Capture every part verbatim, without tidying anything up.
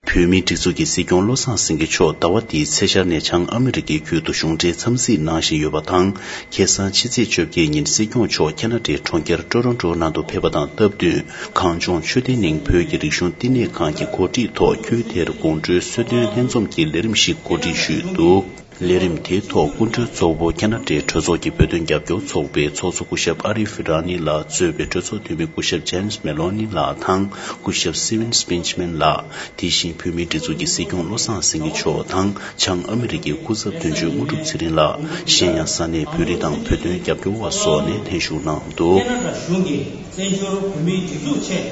བོད་མིའི་སྒྲིག་འཛུགས་ཀྱི་སྲིད་སྐྱོང་བློ་བཟང་སེང་གེ་མཆོག་ཟླ་བ་འདིའི་ཚེས་ཤར་ནས་བྱང་ཨ་མི་རི་ཀའི་ཁུལ་དུ་གཞུང་འབྲེལ་འཚམས་གཟིགས་གནང་བཞིན་ཡོད་པ་དང་། ཁ་སང་ཕྱི་ཚེས་བཅོ་བརྒྱད་ཉིན་སྲིད་སྐྱོང་མཆོག་ཁ་ན་ཌའི་གྲོང་ཁྱེར་ཀྲོ་རོན་ཀྲོ་ནང་དུ་ཕེབས་པ་དང་སྟབས་བསྟུན། གངས་ལྗོངས་ཆོས་ལྡན་གླིང་བོད་ཀྱི་རིག་གཞུང་བསྟི་གནས་ཁང་གི་གོ་སྒྲིག་ཐོག་ཁུལ་དེར་དགོང་དྲོའི་གསོལ་སྟོན་ལྷན་འཛོམས་ཀྱི་ལས་རིམ་ཞིག་གོ་སྒྲིག་ཞུས་འདུག་ལས་རིམ་དེའི་ཐོག་སྐུ་མགྲོན་གཙོ་བོ་ཁ་ན་ཌའི་གྲོས་ཚོགས་ཀྱི་བོད་དོན་རྒྱབ་སྐྱོར་ཚོགས་པའི་ཚོགས་གཙོ་སྐུ་ཞབས་ཨ་རིབ་ར་ནི་ལགས་གཙོས་པའི་གྲོས་ཚོགས་འཐུས་མི་སྐུ་ཞབས་ཇེམ་སི་མེ་ལོ་ནི་ལགས་དང་སྐུ་ཞབས་སི་ཝིན་སྤིན་ཆ་མན་ལགས། དེ་བཞིན་བོད་མིའི་སྒྲིག་འཛུགས་ཀྱི་སྲིད་སྐྱོང་བློ་བཟང་སེང་གེ་མཆོག་དང་། བྱང་ཨ་མི་རི་ཀའི་སྐུ་ཚབ་དོན་གཅོད་དངོས་གྲུབ་ཚེ་རིང་ལགས། གཞན་ཡང་ས་གནས་བོད་རིགས་དང་བོད་དོན་རྒྱབ་སྐྱོར་བ་སོགས་ནས་ལྷན་ཞུགས་གནང་འདུག་ཁེ་ན་ཌ་གཞུང་གིས་བཙན་བྱོལ་བོད་མིའི་སྒྲིག་འཛུགས་ཆེད་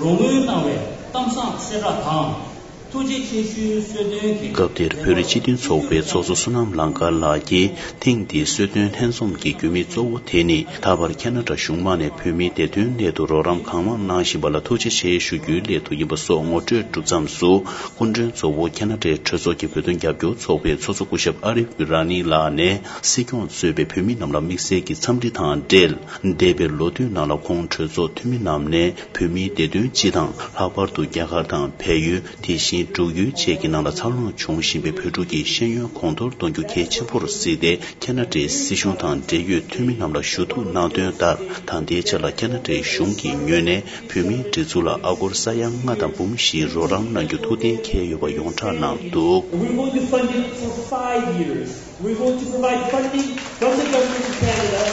རོགས་དངུལ་གནང་བའི་གཏམ་བཟང་གསལ་བསྒྲགས་དང་། ཐུགས་རྗེ་ཆེ་ཞུའི་གསོལ་སྟོན་གྱི། སྐབས་དེར་བོད་རིགས་སྤྱི་མཐུན་ཚོགས་པའི་ཚོགས་གཙོ་བསོད་ནམས་ལང་དཀར་ལགས་ཀྱིས། ཐེངས་འདིའི་གསོལ་སྟོན་ལྷན་འཛོམས་ཀྱི་རྒྱུ་དམིགས་གཙོ་བོ་དེ་ནི། ད་བར་ཁེ་ན་ཌ་གཞུང་མང་ནས་བོད་མིའི་བདེ་དོན་སླད་དུ་རོགས་རམ་གང་མང་གནང་བཞིན་པ་ལ་ཐུགས་རྗེ་ཆེ་ཞུ་རྒྱུའི་སླད་དུ་ཡིན་པ་སོགས་ངོ་སྤྲོད་གྲུབ་མཚམས་སུ། སྐུ་མགྲོན་གཙོ་བོ་ཁེ་ན་ཌའི་གྲོས་ཚོགས་ཀྱི་བོད་དོན་རྒྱབ་སྐྱོར་ཚོགས་པའི་ཚོགས་གཙོ་སྐུ་ཞབས་ཨ་རིབ་ར་ནི་ལགས་ནས། སྲིད་སྐྱོང་གཙོས་པའི་བོད་མི་རྣམས་ལ་དམིགས་བསལ་གྱི་འཚམས་འདྲི་དང་འབྲེལ། འདས་པའི་ལོ་དུས་ནང་ལ་ཁོང་གྲོས་ཚོགས་འཐུས་མི་རྣམས་ནས། བོད་མིའི་བདེ་དོན་སྤྱི་དང་། ལྷག་པར་དུ་རྒྱ་གར་དང་བལ་ཡུལ། དེ་བཞིན་འབྲུག་ཡུལ་བཅས་ཀྱི་ནང་ལ་འཚར་ལོངས་བྱུང་བཞིན་པའི་བོད་ཕྲུག་གི་ཤེས་ཡོན་གོང་མཐོར་གཏོང་རྒྱུ་གལ་ཆེན་པོར་གཟིགས་ཏེ། ཁེ་ན་ཌའི་སྲིད་གཞུང་དང་འབྲེལ་ཡོད་འཐུས་མི་རྣམས་ལ་ཞུ་གཏུག་གནང་དོན་ལྟར། ད་ལྟའི་ཆར་ལ་ཁེ་ན་ཌའི་གཞུང་གི་ངོས་ནས་བོད་མིའི་སྒྲིག་འཛུགས་ལ་ཨ་སྒོར་ས་ཡ་ལྔ་དང་འབུམ་བཞིའི་རོགས་རམ་གནང་རྒྱུ་ཐུགས་གཏན་འཁེལ་ཡོད་པ་ཡོངས་གྲགས་གནང་འདུག We're going to fund it for five years. We're going to provide funding from the Government of Canada.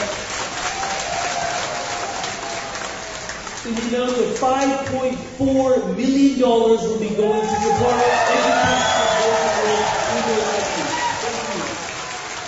In the amount of five point four million dollars will be going to support education.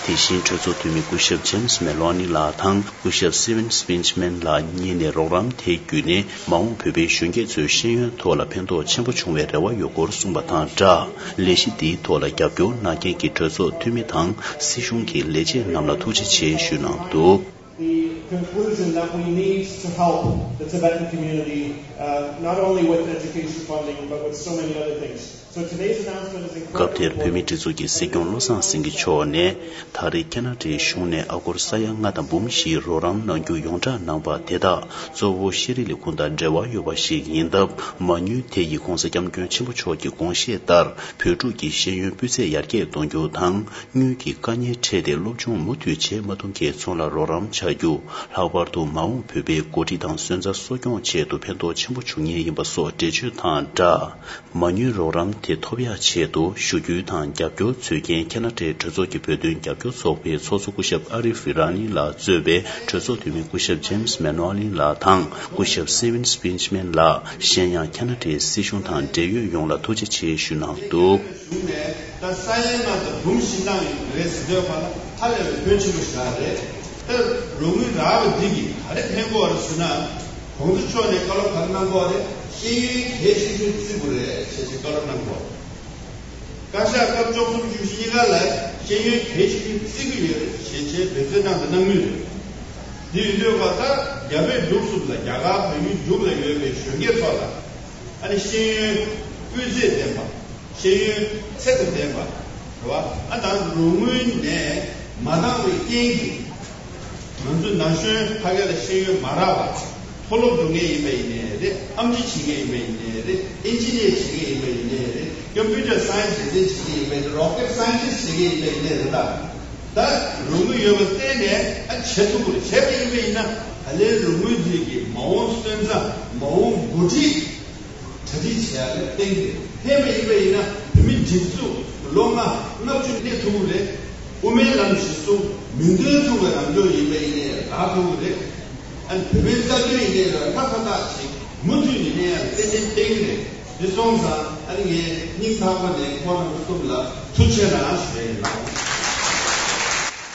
དེ་བཞིན་གྲོས་ཚོགས་འཐུས་མི་སྐུ་ཞབས་ཇེམ་སི་མེ་ལོ་ནི་ལགས་དང་སྐུ་ཞབས་སི་ཝིན་སྤིན་ཆ་མན་ལགས་གཉིས་ནས་རོགས་རམ་དེ་བརྒྱུད་ནས་མ་འོངས་བོད་པའི་གཞོན་སྐྱེས་ཚོའི་ཤེས་ཡོན་ཐོག་ལ་ཕན་ཐོགས་ཆེན་པོ་བྱུང་བའི་རེ་བ་ཡོད་སྐོར་གསུངས་པ་དང་སྦྲགས། ལས་གཞི་འདིའི་ཐོག་ལ་རྒྱབ་སྐྱོར་གནང་མཁན་གྱི་གྲོས་ཚོགས་འཐུས་མི་དང་སྲིད་གཞུང་གི་ལས་བྱེད་རྣམས་ལ་ཐུགས་རྗེ་ཆེ་ཞུས་གནང་འདུག The conclusion that we need to help the Tibetan community, uh, not only with education funding, but with so many other things. So today's announcement is incredibly important. སྐབས་དེར་བོད་མིའི་སྒྲིག་འཛུགས་ཀྱི་སྲིད་སྐྱོང་བློ་བཟང་སེང་གེ་མཆོག་ནས། ད་རེས་ཁེ་ན་ཌའི་གཞུང་ནས་ཨ་སྒོར་ས་ཡ་ལྔ་དང་འབུམ་བཞིའི་རོགས་རམ་གནང་རྒྱུ་ཡོངས་གྲགས་གནང་པ་དེ་དག་གཙོ་བོ་ཤེས་རིག་ལས་ཁུངས་དང་འབྲེལ་བ་ཡོད་པ་ཞིག་ཡིན་སྟབས། མ་དངུལ་དེ་ཡིས་༧གོང་ས་༧སྐྱབས་མགོན་ཆེན་པོ་མཆོག་གི་དགོངས་བཞེད་ལྟར། བོད་ཕྲུག་གི་ཤེས་ཡོན་སྤུས་ཚད་ཡར་རྒྱས་གཏོང་རྒྱུ་དང་། དངུལ་གྱི་དཀའ་ངལ་འཕྲད་དེ་སློབ་སྦྱོང་མུ་མཐུད་བྱེད་མ་ཐུབ་མཁན་ཚོ་ལ་རོགས་རམ་བྱ་རྒྱུ། ལྷག་པར་དུ་མ་འོངས་བོད་པའི་འགོ་ཁྲིད་དང་སོན་རྩ་གསོ་སྐྱོང་ཆེད་དུ་ཕན་ཐོགས་ཆེན་པོ་འབྱུང་ངེས་ཡིན་པ་སོགས་འགྲེལ་བརྗོད་དང་སྦྲགས། མ་དངུལ་རོགས་རམ་དེ་ཐོབ་ཡག་ཆེད་དུ་ཞུ་སྐུལ་དང་རྒྱབ་སྐྱོར་འཚོལ་མཁན་ཁེ་ན་ཌའི་གྲོས་ཚོགས་ཀྱི་བོད་དོན་རྒྱབ་སྐྱོར་ཚོགས་པའི་ཚོགས་གཙོ་སྐུ་ཞབས་ཨ་རིབ་ཧྥི་ར་ནི་ལགས་གཙོས་པའི་གྲོས་ཚོགས་འཐུས་མི་སྐུ་ཞབས་ཇེམ་སི་མེ་ནོ་ལིན་ལགས་དང་སྐུ་ཞབས་སི་ཝིན་སྤིན་ཆ་མན་ལགས། གཞན་ཡང་ཁེ་ན་ཌའི་སྲིད་གཞུང་དང་འབྲེལ་ཡོད་ཡོངས་ལ་ཐུགས་རྗེ་ཆེ་ཞུ་གནང་འདུག་གཞུང་ནས་ད་ས་ཡན་ནང་དུ་འབུམ་བཞི་གནང་ཡོད་རེད་ཟེར་དུས་ཕར་ལ་ཧ་ལས་པའི་ཕོན་ཆེན་པོ་ཞིག་རེད། ད་རོགས་དངུལ་རག་པ་འདི་གིས་ག་རེ་ཕན་གོ་རེད་ཟེར་ན། གོང་ས་མཆོག་ནས་བཀའ་སློབ་ག་རེ་གནང་གོ་རེད། ཤེས་ཡོན་གལ་ཆེ་ཤོས་བརྩི་དགོས་རེད་ཞེས་བཀའ་སློབ་གནང་གོ་བཀའ་ཤག་སྐབས་བཅུ་གསུམ་བཅུ་བཞི་གཉིས་ཀ་ལ་ཤེས་ཡོན་གལ་ཆེ་ཤོས་བརྩི་གི་ཡོད་རེད་ཞེས་བྱས་འབད་བརྩོན་གནང་དང་གནང་མུས་རེད། དེ་ཡིན་དུས་ཀ་ད་རྒྱ་བལ་འབྲུག་གསུམ་ལ་རྒྱ་གར་བལ་ཡུལ་འབྲུག་ལ་ཡོད་པའི་གཞོན་སྐྱེས་ཚོ་ལ་ཨ་ནི་ཤེས་ཡོན་སྤུས་ཚད་ལྡན་པ། ཤེས་ཡོན་ཚད་དང་ལྡན་པ་རེད་བ། ཨ་ད་རོགས་དངུལ་ནས་མ་འདང་བའི་རྐྱེན་གྱིས་ང་ཚོ་ན་གཞོན་ཕ་གི་ལ་ཤེས་ཡོན་མ་རག་པ། མཐོ་སློབ་འགྲོ་མཁན་ཡིན་པ་ཡིན་ནའི་རེད། ཨེམ་ཆི་བྱེད་མཁན་ཡིན་པ་ཡིན་ནའི་རེད། ཨིན་ཇི་ནི་ཡར་བྱེད་མཁན་ཡིན་པ་ཡིན་ནའི་རེད། ཀམ་པུ་ཊར་སའེན་སི་འགྲེམས་སྟོན་བྱེད་མཁན་ཡིན་པ་ཡིན་ནའི་རོ་ཀེཊ་སའེན་ཊིསི་བྱེད་མཁན་ཡིན་པ་ཡིན་ནའི་རེད། ད་ད་རོགས་དངུལ་ཡོད་པ་བརྟེན་ནས་ཨ་བྱེད་ཐུབ་དགོས་རེད། བྱས་པ་ཡིན་པ་ཡིན་ན་ད་ལན་རོགས་དངུལ་དེ་གི་མ་འོངས་སོན་རྩ་མ་འོངས་འགོ་ཁྲིད་གྲ་སྒྲིག་བྱེད་ཡ་ལ་བརྟེན་ཏེ་ཕན་པ་ཡིན་པ་ཡིན་ན་བོད་མི་སྒྲིག་འཛུགས་ལོ་ལྔ་ལྔ་བཅུ་གནས་ཐུབ་ཀྱི་རེད། དབུ་མའི་ལམ་གཞི་བཟུང་མིང་དོན་མཚུངས་པའི་ལམ་ཕྱོགས་ཡིན་པ་ཡིན་ནའི་རག་ཐུབ་ཀྱི་རེད། ཨ་ནི་བོད་པའི་རྩ་དོན་ཡིན་ནའི་རག་ཁ་ཁ་ཐག་ཅིག་མུ་མཐུད་ནས་གནས་ཡ་ཏན་ཏན་བསྟན་གྱི་རེད། དེ་སོང་ཙང་ཨ་ནི་ངས་སྙིང་ཐག་པ་ནས་ཁོང་རྣམ་པ་གསུམ་ལ་ཐུགས་རྗེ་གནང་ཞུ་ཡ་ཡིན་ལགས།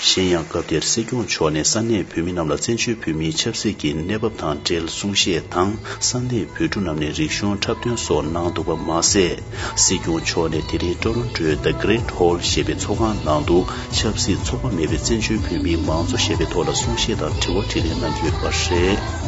གཞན་ཡང་སྐབས་དེར་སྲིད་སྐྱོང་མཆོག་ནས་ས་གནས་བོད་མི་རྣམས་ལ་བཙན་བྱོལ་བོད་མིའི་ཆབ་སྲིད་ཀྱི་གནས་བབ་དང་འབྲེལ་གསུང་བཤད་དང་ས་གནས་བོད་ཕྲུག་རྣམས་ནས་རིག་གཞུང་འཁྲབ་སྟོན་སོགས་གནང་འདུག་པ་མ་ཟད། སྲིད་སྐྱོང་མཆོག་ནས་དེ་རིང་ཀྲོ་རོན་ཀྲོའི་The Great Hall ཞེས་པའི་ཚོགས་ཁང་ནང་དུ་ཆབ་སྲིད་ཚོགས་པ་མེད་པའི་བཙན་བྱོལ་བོད་མིའི་མང་གཙོ་ཞེས་པའི་ཐོག་ལ་གསུང་བཤད་དང་དྲི་བ་དྲིས་ལན་གནང་གི་ཡོད་པ་རེད།